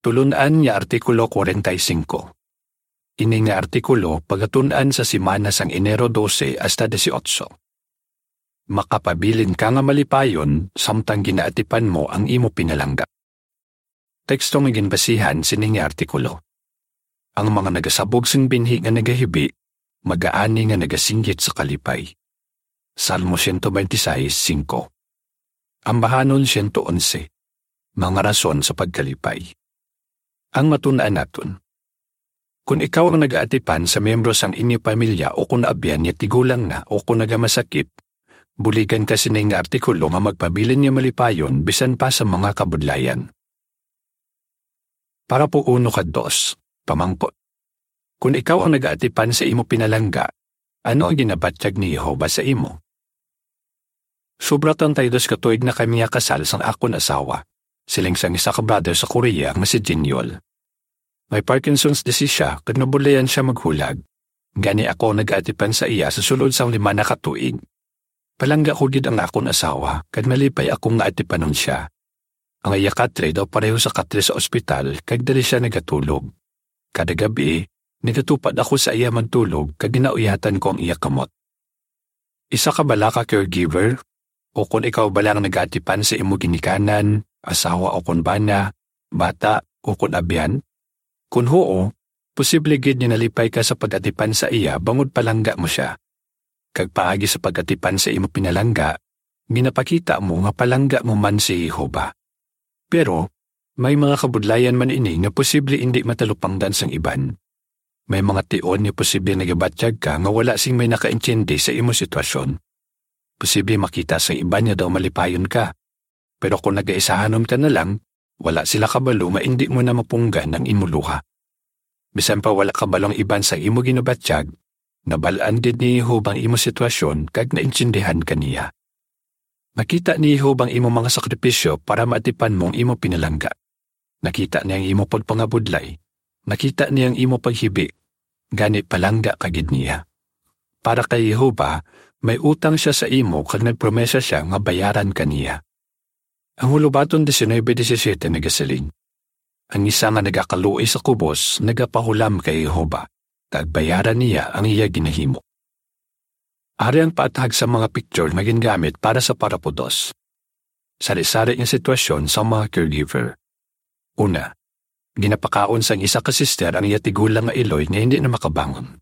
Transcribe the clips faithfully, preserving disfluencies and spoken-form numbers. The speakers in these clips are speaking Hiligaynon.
Tulon-an nga Artikulo kwarenta y singko. Ini nga artikulo pagatun-an sa semana sang Enero dose hasta dieciocho. Makapabilin ka nga malipayon samtang ginaatipan mo ang imo pinalangga. Teksto nga ginbasihan sini nga artikulo. Ang mga nagasabog sing binhi nga nagahibi, magaani nga nagasinggit sa kalipay. Salmo siyento bente seis singko. Ambahanon siyento onse. Mga rason sa pagkalipay. Ang matun-an naton. Kon ikaw ang nagaatipan sa miyembro sang inyo pamilya o kon abyan nga tigulang na o kon nagamasakit, buligan ka sini nga artikulo nga magpabilin nga malipayon bisan pa sa mga kabudlayan. Parapo uno kag dos, pamangkot. Kon ikaw ang nagaatipan sa imo pinalangga, ano ang ginabatyag ni Jehovah sa imo? Sobra treinta y dos ka tuig na kami nga kasal sang akon asawa, siling sang isa ka brother sa Korea nga si Jinyol. May Parkinson's disease sia kag nabudlayan sia maghulag. Gani ako nagaatipan sa iya sa sulod sang lima na ka tuig. Palangga ko gid ang akon asawa, kag nalipay ako nga atipanon sia. Ang iya katre daw pareho sa katre sa ospital, kag dali sia nagatulog. Kada gab-i, nagatupad ako sa iya magtulog, kag ginauyatan ko ang iya kamot. Isa ka bala ka caregiver? O kon ikaw bala ang nagaatipan sa imo ginikanan, asawa o kon bana, bata o kon abyan? Kon huo, posible gid nga nalipay ka sa pag-atipan sa iya bangod palangga mo sia. Kag paagi sa pag-atipan sa imo pinalangga, ginapakita mo nga palangga mo man si Jehovah. Pero, may mga kabudlayan man ini nga posible indi matalupangdan sang iban. May mga tion nga posible nagabatyag ka nga wala sing may nakaintindi sa imo sitwasyon. Posible makita sang iban nga daw malipayon ka. Pero kon nagaisahanon ka na lang, wala sila kabalo nga indi mo na mapunggan ang imo luha. Bisan pa wala kabalo ang iban sa imo ginabatyag, nabal-an gid ni Jehovah ang imo sitwasyon kag naintindihan ka niya. Nakita ni Jehovah ang imo mga sakripisyo para maatipan mo ang imo pinalangga. Nakita niya ang imo pagpangabudlay. Nakita niya ang imo paghibi. Gani palangga ka gid niya. Para kay Jehovah, may utang sia sa imo kag nagpromesa sia nga bayaran ka niya. Ang Hulobaton diecinuebe diecisiete nagasiling, "Ang isa nga nagakaluoy sa kubos nagapahulam kay Jehovah, kag bayaran niya ang iya ginahimo." Ari ang paathag sa mga picture nga gingamit para sa parapo dos. Sari-sari nga sitwasyon sa mga caregiver. Una, ginapakaon sang isa ka sister ang iya tigulang nga iloy nga hindi na makabangon.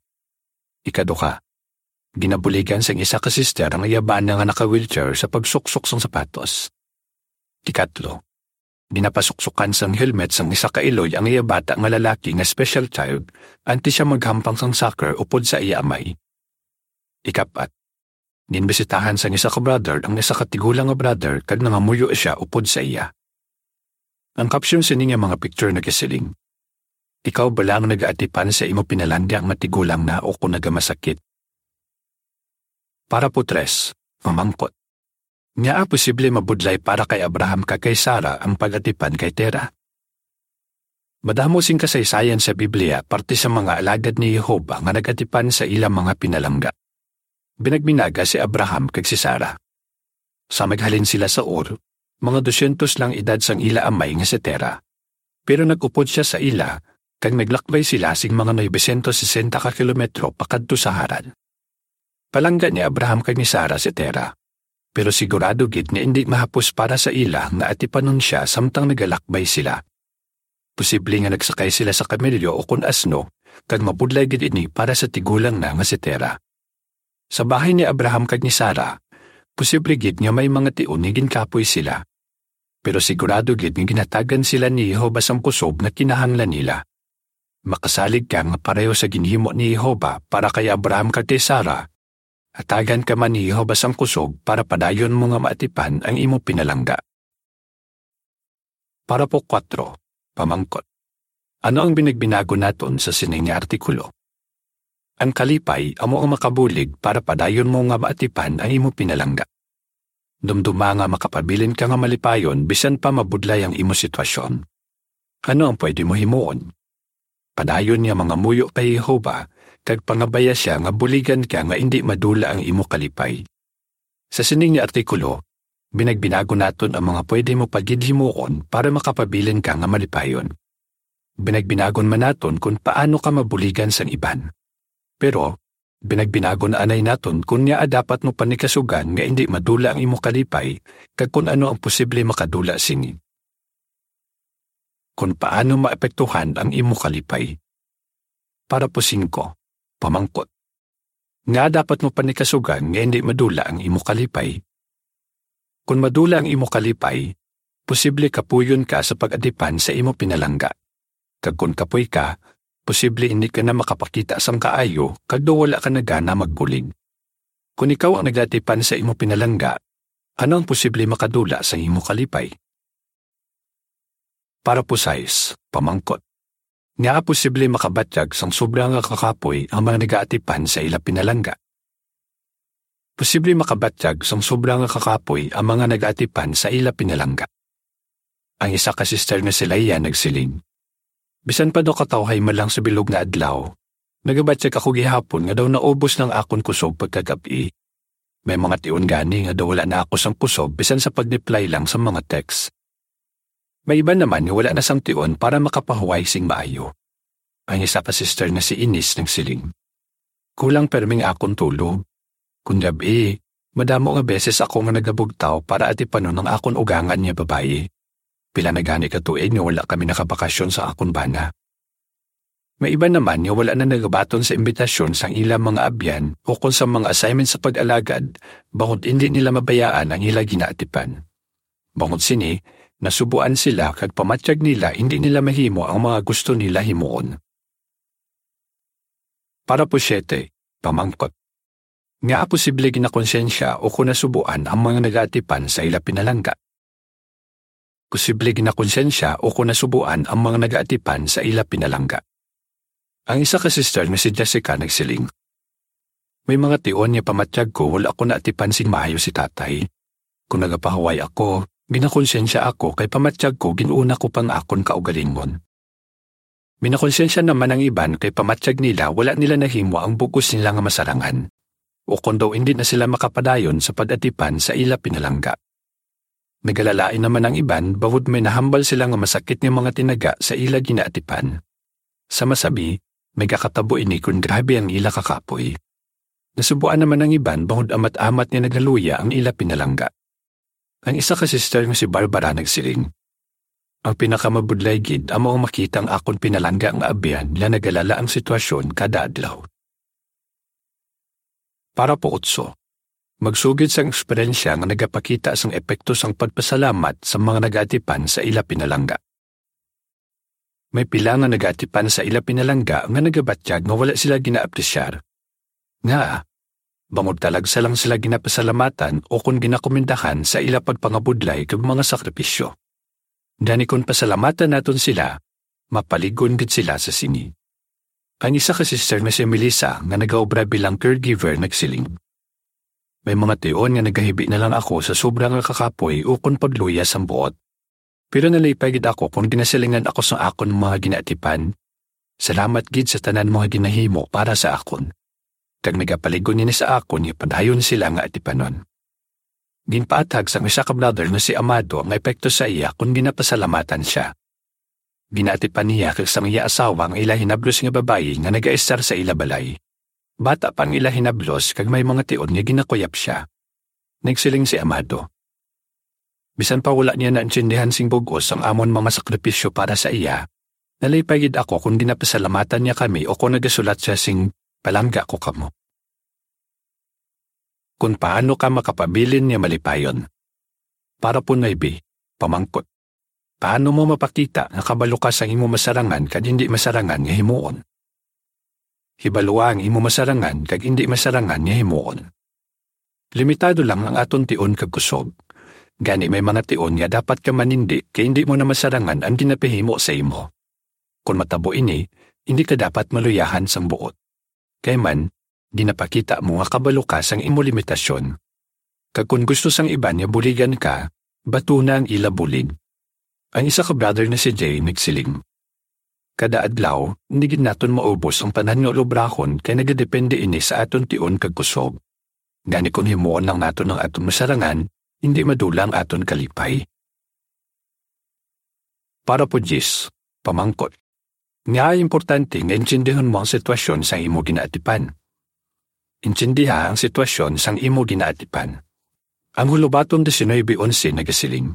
Ikaduha, ginabuligan sang isa ka sister ang iya bana nga naka-wheelchair sa pagsuksok sang sapatos. Ikatlo, ginapasuksukan sang helmet sang isa ka iloy ang iya bata nga lalaki nga special child antes siya maghampang sang soccer upod sa iya amay. Ikapat, ginbisitahan sang isa ka brother ang isa ka tigulang nga brother kag nangamuyo sia upod sa iya. Ang caption sini nga mga picture nagasiling, "Ikaw bala ang nagaatipan sa imo pinalangga nga tigulang na o kon nagamasakit?" Parapo tres, pamangkot. Ngaa posible mabudlay para kay Abraham kag kay Sara ang pag-atipan kay Tera? Madamo sing kasaysayan sa Biblia parte sa mga alagad ni Jehovah nga nag-atipan sa ila mga pinalangga. Binagbinaga si Abraham kag si Sara. Sa naghalin sila sa Ur, mga dosyentos lang edad sang ila amay nga si Tera. Pero nag-upod sia sa ila, kag naglakbay sila sing mga novecientos sesenta ka kilometro pakadto sa Haran. Palangga ni Abraham kag ni Sara si Tera, pero sigurado gid nga indi mahapos para sa ila nga atipanon sia samtang nagalakbay sila. Posible nga nagsakay sila sa kamelyo o kon asno, kag mabudlay gid ini para sa tigulang na nga si Tera. Sa bahin ni Abraham kag ni Sara, posible gid nga may mga tion nga ginkapoy sila. Pero sigurado gid nga ginhatagan sila ni Jehovah sang kusog nga kinahanglan nila. Makasalig ka nga pareho sa ginhimo ni Jehovah para kay Abraham kag kay Sara, hatagan ka man ni Jehovah sang kusog para padayon mo nga maatipan ang imo pinalangga. Parapo kuwatro, pamangkot. Ano ang binagbinagon naton sa sini nga artikulo? Ang kalipay amo ang makabulig para padayon mo nga maatipan ang imo pinalangga. Dumduma nga makapabilin ka nga malipayon bisan pa mabudlay ang imo sitwasyon. Ano ang pwede mo himuon? Padayon nga mangamuyo kay Jehovah, kag pangabaya sia nga buligan ka nga indi madula ang imo kalipay. Sa sining nga artikulo, binagbinagon naton ang mga pwede mo pa gid himuon para makapabilin ka nga malipayon. binagbinagon man naton kon paano ka mabuligan sang iban. Pero, binagbinagon anay naton kon ngaa dapat mo panikasugan nga indi madula ang imo kalipay, kag kon ano ang posible makadula sini. Kon paano maapektuhan ang imo kalipay. Parapo singko, pamangkot. Ngaa dapat mo panikasugan nga indi madula ang imo kalipay? Kon madula ang imo kalipay, posible kapuyon ka sa pag-atipan sa imo pinalangga. Kag kon kapoy ka, posible indi ka na makapakita sang kaayo kag daw wala ka na gana magbulig. Kon ikaw ang nagatipan sa imo pinalangga, ano ang posible makadula sa imo kalipay? Parapo sais, pamangkot. Ngaa posible makabatyag sang sobra nga kakapoy ang mga nagaatipan sa ila pinalangga? Posible makabatyag sang sobra nga kakapoy ang mga nagaatipan sa ila pinalangga. Ang isa ka sister nga si Leia nagsiling, "Bisan pa daw katawhay man lang sa bilog nga adlaw, nagabatyag ako gihapon nga daw naubos na ang akon kusob pagkagab-i. May mga tion gani nga daw wala na ako sang kusob bisan sa pag-reply lang sa mga text. May iban naman nga wala na sang tion para makapahuway sing maayo." Ang isa ka sister nga si Ines nagsiling, "Kulang permi ang akon tulog. Kon gab-i, madamo nga beses ako nga nagabugtaw para atipanon ang akon ugangan nga babayi. Pila na gani ka tuig nga wala kami nakabakasyon sa akon bana. May iban naman nga wala na nagabaton sa imbitasyon sang ila mga abyan o kon sa mga assignment sa pag-alagad, bangod indi nila mabayaan ang ila ginaatipan. Bangod sini, nasubuan sila kag pamatyag nila indi nila mahimo ang mga gusto nila himuon." Parapo siete, pamangkot. Ngaa posible ginakonsensya o kon nasubuan ang mga nagaatipan sa ila pinalangga? Posible ginakonsensya o kon nasubuan ang mga nagaatipan sa ila pinalangga. Ang isa ka sister nga si Jessica nagsiling, "May mga tion nga pamatyag ko wala ko naatipan sing maayo si tatay. Kon nagapahuway ako, ginakonsensya ako kay pamatyag ko gin-una ko pa ang akon kaugalingon. Ginakonsensya naman ang iban kay pamatyag nila wala nila nahimo ang bug-os nila nga masarangan, o kon daw indi na sila makapadayon sa pag-atipan sa ila pinalangga. Nagalalain naman ang iban bangod may nahambal sila nga masakit nga mga tinaga sa ila ginaatipan. Sa masabi, nagakatabo ini kon grabe ang ila kakapoy. Nasubuan naman ang iban bangod amat-amat nga nagaluya ang ila pinalangga." Ang isa ka sister nga si Barbara nagsiling, "Ang pinakamabudlay gid amo ang makita ang akon pinalangga nga abyan nga nagalala ang sitwasyon kada adlaw." Parapo otso. Magsugid sang eksperyensya nga nagapakita sang epekto sang pagpasalamat sa mga nagaatipan sa ila pinalangga. May pila nga nagaatipan sa ila pinalangga nga nagabatyag nga wala sila ginaapresyar. Nga, bangod talagsa lang sila ginapasalamatan o kon ginakomendahan sa ila pagpangabudlay kag mga sakripisyo. Gani kon pasalamatan naton sila, mapalig-on gid sila sa sini. Ang isa ka sister nga si Melissa nga nagaobra bilang caregiver nagsiling, "May mga tion nga nagahibi na lang ako sa sobra nga kakapoy o kon pagluya sang buot. Pero nalipay gid ako kon ginasilingan ako sa akon mga ginaatipan. Salamat gid sa tanan mo nga ginahimo para sa akon. Kag nagapalig-on ini sa akon nga padayon sila nga atipanon." Ginpaathag sang isa ka brother nga si Amado ang epekto sa iya kon ginapasalamatan sia. Ginaatipan niya kag sang iya asawa ang ila hinablos nga babayi nga nagaestar sa ila balay. Bata pa ang ila hinablos kag may mga tion nga ginakuyap sia. Nagsiling si Amado, "Bisan pa wala niya naintindihan sing bug-os ang amon mga sakripisyo para sa iya, nalipay gid ako kon ginapasalamatan niya kami o kon nagasulat sia sing 'Palangga ko kamo.'" Kon paano ka makapabilin nga malipayon. Parapo nuebe, pamangkot. Paano mo mapakita nga kabalo ka sang imo masarangan kag indi masarangan nga himuon? Hibalua ang imo masarangan kag indi masarangan nga himuon. Limitado lang ang aton tion kag kusog. Gani may mga tion nga dapat ka manindi kay indi mo na masarangan ang ginapahimo sa imo. Kon matabo ini, indi ka dapat maluyahan sang buot. Kay man, ginapakita mo nga kabalo ka sang imo limitasyon. Kag kon gusto sang iban nga buligan ka, batuna ang ila bulig. Ang isa ka brother nga si Jay nagsiling, "Kada adlaw, indi gid naton maubos ang tanan nga ulobrahon kay nagadepende ini sa aton tion kag kusog. Gani kon himuon lang naton ang aton masarangan, indi madula ang aton kalipay." Parapo diyes, pamangkot. Nga importante nga intindihon mo ang sitwasyon sang imo ginaatipan. Intindiha ang sitwasyon sang imo ginaatipan. Ang Hulubaton diecinuebe onse nagasiling,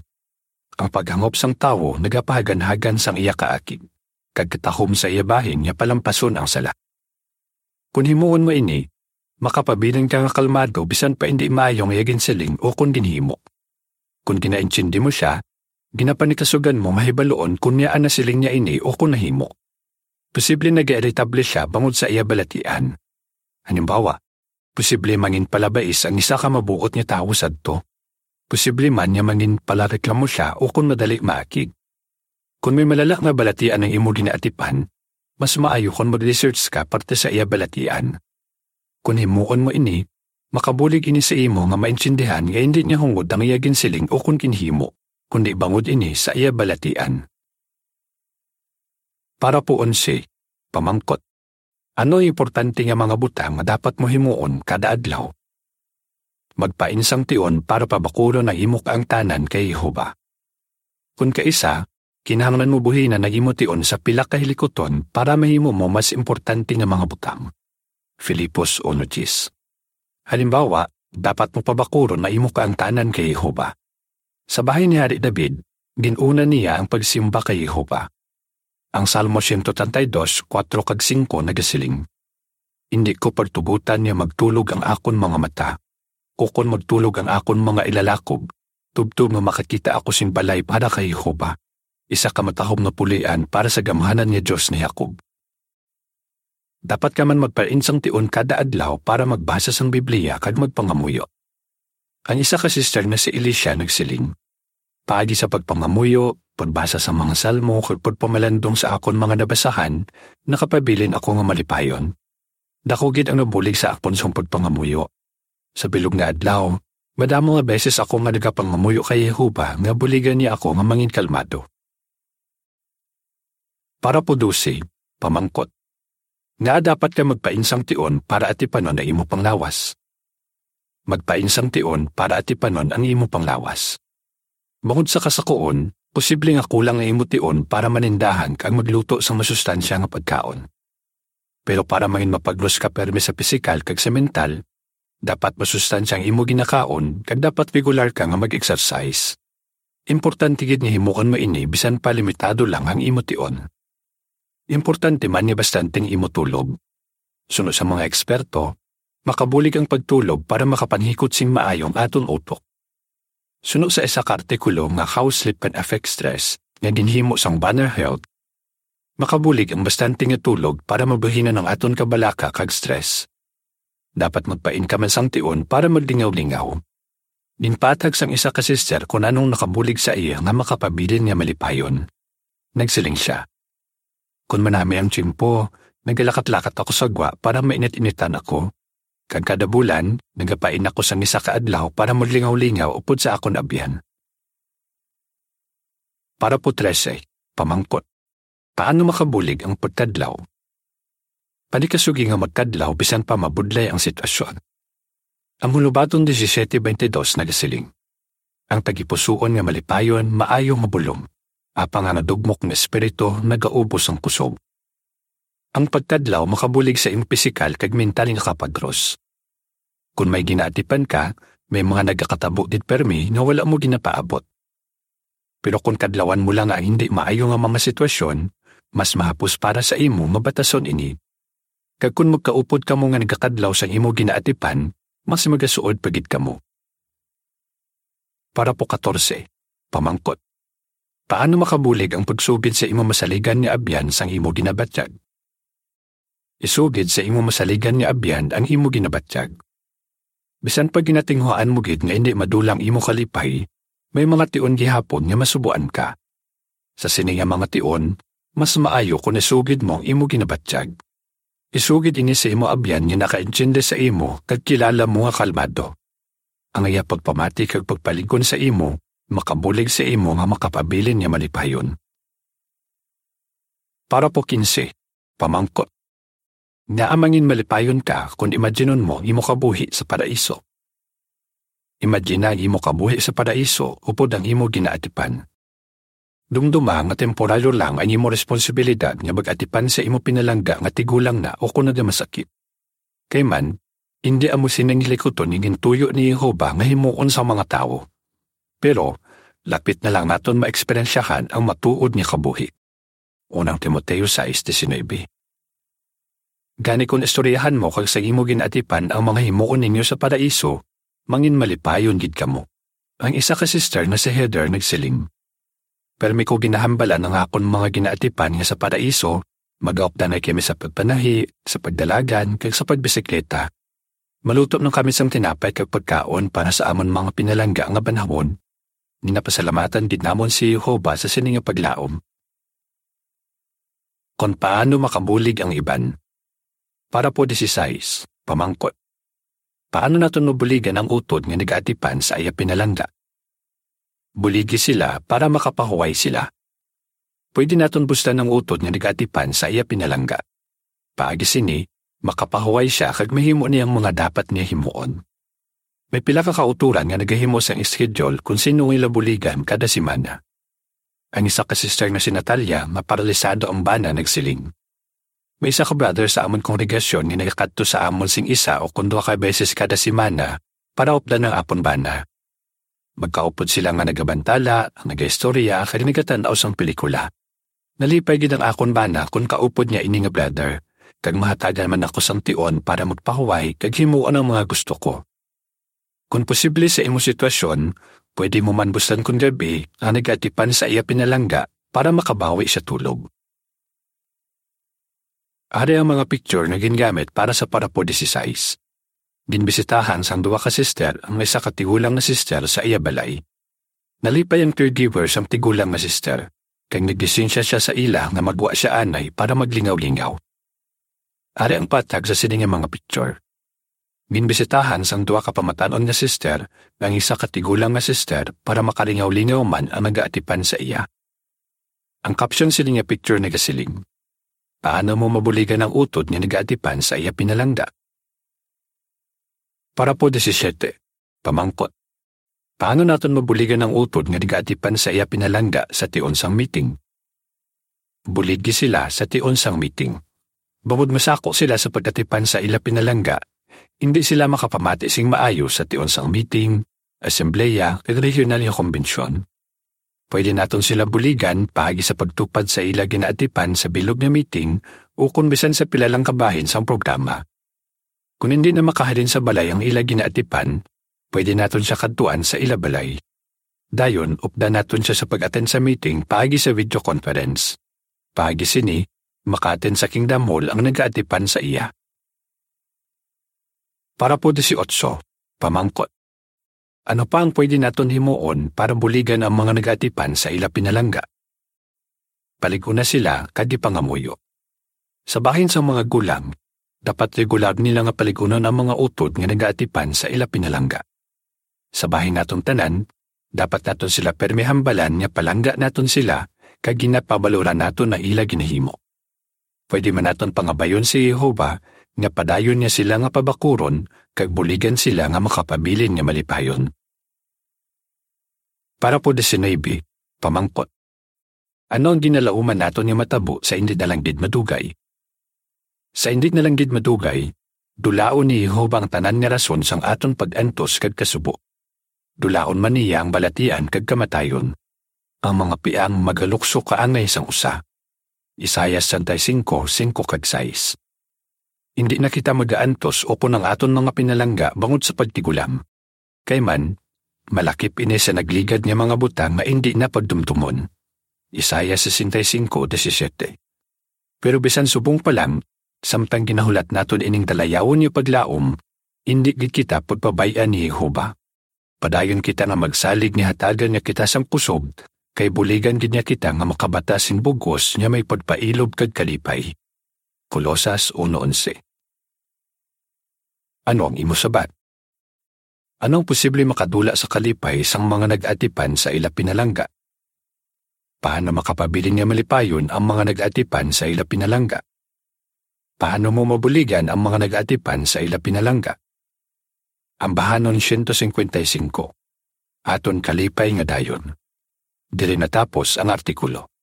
"Ang paghangop sang tawo nagapahaganhagan sang iya kaakig, kag katahom sa iya bahin nga palampason ang sala." Kon himuon mo ini, makapabilin ka nga kalmado bisan pa indi maayo nga iya ginsiling o kon ginhimo. Kon ginaintindi mo sia, ginapanikasugan mo nga hibaluon kon yaan nasiling niya ini o kon nahimo. Posible nagairritable sia bangod sa iya balatian. Halimbawa, posible mangin palabais ang isa ka mabuot nga tawo sadto. Posible man nga mangin palareklamo sia o kon madali maakig. Kon may malala nga balatian ang imo ginaatipan, mas maayo kon mag-research ka parte sa iya balatian. Kon himuon mo ini, makabulig ini sa imo nga maintindihan nga indi niya hungod ang iya ginsiling o kon ginhimo, kundi bangod ini sa iya balatian. Parapo onse, pamangkot. Ano ang importante nga mga butang nga dapat mo himuon kada adlaw? Magpainsang tion para pabakulon ang imo kaangtanan kay Jehovah. Kon kaisa, kinahanglan mo buhinan ang imo tion sa pila ka hilikuton para mahimo mo mas importante nga mga butang. Filipos uno diyes. Halimbawa, dapat mo pabakulon ang imo kaangtanan kay Jehovah. Sa bahin ni Hari David, gin-una niya ang pagsimba kay Jehovah. Ang Salmo siyento treinta y dos, kuwatro kag singko nagasiling, "Indi ko pagtubotan nga magtulog ang akon mga mata, ukon magtulog ang akon mga ilalakob, tubtob nga makakita ako sing balay para kay Jehovah, isa ka matahom nga pulian para sa gamhanan nga Dios ni Jacob." Dapat ka man magpainsang tion kada adlaw para magbasa sang Biblia kag magpangamuyo. Ang isa ka sister nga si Alicia nagsiling, "Paagi sa pagpangamuyo, pagbasa sa mga salmo, kag pagpamalandong sa akon mga nabasahan, nakapabilin ako nga malipayon. Daku gid ang nabulig sa akon sang pagpangamuyo. Sa bilog nga adlaw, madamo nga beses ako nga nagapangamuyo kay Jehovah nga buligan niya ako nga mangin kalmado." Parapo dose, pamangkot. Ngaa dapat ka magpainsang tion para atipanon ang imo panglawas? Magpainsang tion para atipanon ang imo panglawas. Bangod sa kasakoon, posible nga kulang ang imo tion para manindahan kag magluto sang masustansya nga pagkaon. Pero para mangin mapaglos ka pirme sa pisikal kag sa mental, dapat masustansya ang imo ginakaon kag dapat regular ka nga mag-exercise. Importante gid nga himuon mo ini bisan pa limitado lang ang imo tion. Importante man nga bastante ang imo tulog. Suno sa mga eksperto, makabulig ang pagtulog para makapanghikot sing maayo ang aton utok. Suno sa isa ka artikulo nga How Sleep Can Affect Stress nga ginhimo sang Banner Health, makabulig ang bastante nga tulog para mabuhinan ang aton kabalaka kag stress. Dapat magpain ka man sang tion para maglingaw-lingaw. Ginpatag sang isa ka sister kon anong nakabulig sa iya nga makapabilin nga malipayon. Nagsiling sia, "Kon manami ang tiyempo, nagalakat-lakat ako sa gwa para mainit-initan ako. Kag kada bulan, nagapain ako sang isa ka adlaw para maglingaw-lingaw upod sa akon abyan." Parapo trese, pamangkot. Paano makabulig ang pagkadlaw? Panikasugi nga magkadlaw bisan pa mabudlay ang sitwasyon. Ang Hulubaton disisiete beintidos nagasiling, "Ang tagipusoon nga malipayon maayo nga bulong, apang ang nadugmok nga espiritu nagaubos sang kusog." Ang pagkadlaw makabulig sa imo pisikal kag mental nga kapagros. Kon may ginaatipan ka, may mga nagakatabo gid pirmi nga wala mo ginapaabot. Pero kon kadlawan mo lang ang hindi maayo nga mga sitwasyon, mas mahapos para sa imo nga batason ini. Kag kon magkaupod kamo nga nagakadlaw sang imo ginaatipan, mas magasuod pa gid kamo. Parapo katorse, pamangkot. Paano makabulig ang pagsugid sa imo masaligan nga abyan sang imo ginabatyag? Isugid sa imo masaligan nga abyan ang imo ginabatyag. Bisan pa ginatinguhaan mo gid nga indi madula ang imo kalipay, may mga tion gihapon nga masubuan ka. Sa sini nga mga tion, mas maayo kon isugid mo ang imo ginabatyag. Isugid ini sa imo abyan nga nakaintindi sa imo kag kilala mo nga kalmado. Ang iya pagpamati kag pagpalig-on sa imo makabulig sa imo nga makapabilin nga malipayon. Parapo kinse, pamangkot. Ngaa mangin malipayon ka kon imaginon mo ang imo kabuhi sa paraiso? Imagina ang imo kabuhi sa paraiso upod ang imo ginaatipan. Dumduma nga temporaryo lang ang imo responsibilidad nga mag-atipan sa imo pinalangga nga tigulang na o kon nagamasakit. Kay man, indi amo sini ang hilikuton nga gintuyo ni Jehovah nga himuon sa mga tawo. Pero, lapit na lang naton maeksperyensyahan ang matuod nga kabuhi. Unang Timoteo sais diecinuebe. Gani, kon istoryahan mo kag sa imo ginaatipan ang mga himuon ninyo sa paraiso, mangin malipayon gid kamo. Ang isa ka sister nga si Heather nagsiling, "Permi ko ginahambalan ang akon mga ginaatipan nga sa paraiso, magaupdanay kami sa pagpanahi, sa pagdalagan, kag sa pagbisikleta. Maluto man kami sang tinapay kag pagkaon para sa amon mga pinalangga nga banhawon. Ginapasalamatan gid namon si Jehovah sa sini nga paglaom." Kon paano makabulig ang iban. Parapo dieciséis, pamangkot. Paano naton mabuligan ang utod nga nagaatipan sa iya pinalangga? Buligi sila para makapahuway sila. Pwede naton bustan ang utod nga nagaatipan sa iya pinalangga. Paagi sini, makapahuway sia kag mahimo niya ang mga dapat niya himuon. May pila ka kautoran nga nagahimo sang schedule kon sin-o ang ila buligan kada semana. Ang isa ka sister nga si Natalia, nga paralisado ang bana, nagsiling, "May isa ka brother sa amon kongregasyon nga nagakadto sa amon sing isa o kon duha ka beses kada semana para updan ang akon bana. Magkaupod sila nga nagabantala, nagaistorya, kag nagatan-aw sang pelikula. Nalipay gid ang akon bana kon kaupod niya ini nga brother, kag mahatagan man ako sang tion para magpahuway kag himuon ang mga gusto ko. Kon posible sa imo sitwasyon, pwede mo man bustan kon gab-i ang nagaatipan sa iya pinalangga para makabawi sa tulog." Ari ang mga picture nga gingamit para sa parapo dieciséis. Ginbisitahan sang duha ka sister ang isa ka tigulang nga sister sa iya balay. Nalipay ang caregiver sang tigulang nga sister, kag naglisensya sia sa ila nga magwa sia anay para maglingaw-lingaw. Ari ang patag sa sini nga mga picture. Ginbisitahan sang duha ka pamatan-on nga sister ang isa ka tigulang nga sister para makalingaw-lingaw man ang nagaatipan sa iya. Ang caption sini nga picture nagasiling, "Paano mo mabuligan ang utod nga nagaatipan sa iya pinalangga?" Parapo diecisiete, pamangkot. Paano naton mabuligan ang utod nga nagaatipan sa iya pinalangga sa tion sang meeting? Buligi sila sa tion sang meeting. Bangod masako sila sa pag-atipan sa ila pinalangga, indi sila makapamati sing maayo sa tion sang meeting, asembleya, kag regional nga kumbensyon. Pwede naton sila buligan paagi sa pagtupad sa ila ginaatipan sa bilog nga meeting ukon bisan sa pila lang ka bahin sang programa. Kon indi na makahalin sa balay ang ila ginaatipan, pwede naton sia kadtuan sa ila balay. Dayon, updan naton sia sa pag-attend sa meeting paagi sa video conference. Paagi sini, maka-attend sa Kingdom Hall ang nagaatipan sa iya. Parapo dieciocho, pamangkot. Ano pa ang pwede naton himuon para buligan ang mga nagaatipan sa ila pinalangga? Palig-una sila kag ipangamuyo. Sa bahin sang mga gulang, dapat regular nila nga palig-unon ang mga utod nga nagaatipan sa ila pinalangga. Sa bahin naton tanan, dapat naton sila pirme hambalan nga palangga naton sila kag ginapabaloran naton ang ila ginahimo. Pwede man naton pangabayon si Jehovah nga padayon niya sila nga pabakuron kag buligan sila nga makapabilin nga malipayon. Parapo diecinuebe, pamangkot. Ano ang ginalauman naton nga matabo sa indi na lang gid madugay? Sa indi na lang gid madugay, dulaon ni Jehovah ang tanan nga rason sang aton pag-antos kag kasubo. Dulaon man niya ang balatian kag kamatayon. Ang mga piang magalukso kaangay sang usa. Isaias sesenta y cinco, singko kag sais. Indi na kita magaantos ukon ang aton mga pinalangga bangod sa pagtigulang. Kay man, malakip ini sa nagligad nga mga butang nga indi na pagdumdumon. Isaias sesenta y cinco diecisiete. Pero bisan subong pa lang, samtang ginahulat naton ining dalayawon nga paglaom, indi gid kita pagpabay-an ni Jehovah. Padayon kita nga magsalig nga hatagan niya kita sang kusog, kay buligan gid niya kita nga makabata sing bug-os nga may pagpailob kag kalipay. Colosas uno onse. Ano ang imo sabat? Ano ang posible makadula sa kalipay sang mga nag-atipan sa ila pinalangga? Paano makapabilin nga malipayon ang mga nag-atipan sa ila pinalangga? Paano mo mabuligan ang mga nag-atipan sa ila pinalangga? Ambahanon siyento singkwenta y singko. Aton kalipay nga dayon. Diri natapos ang artikulo.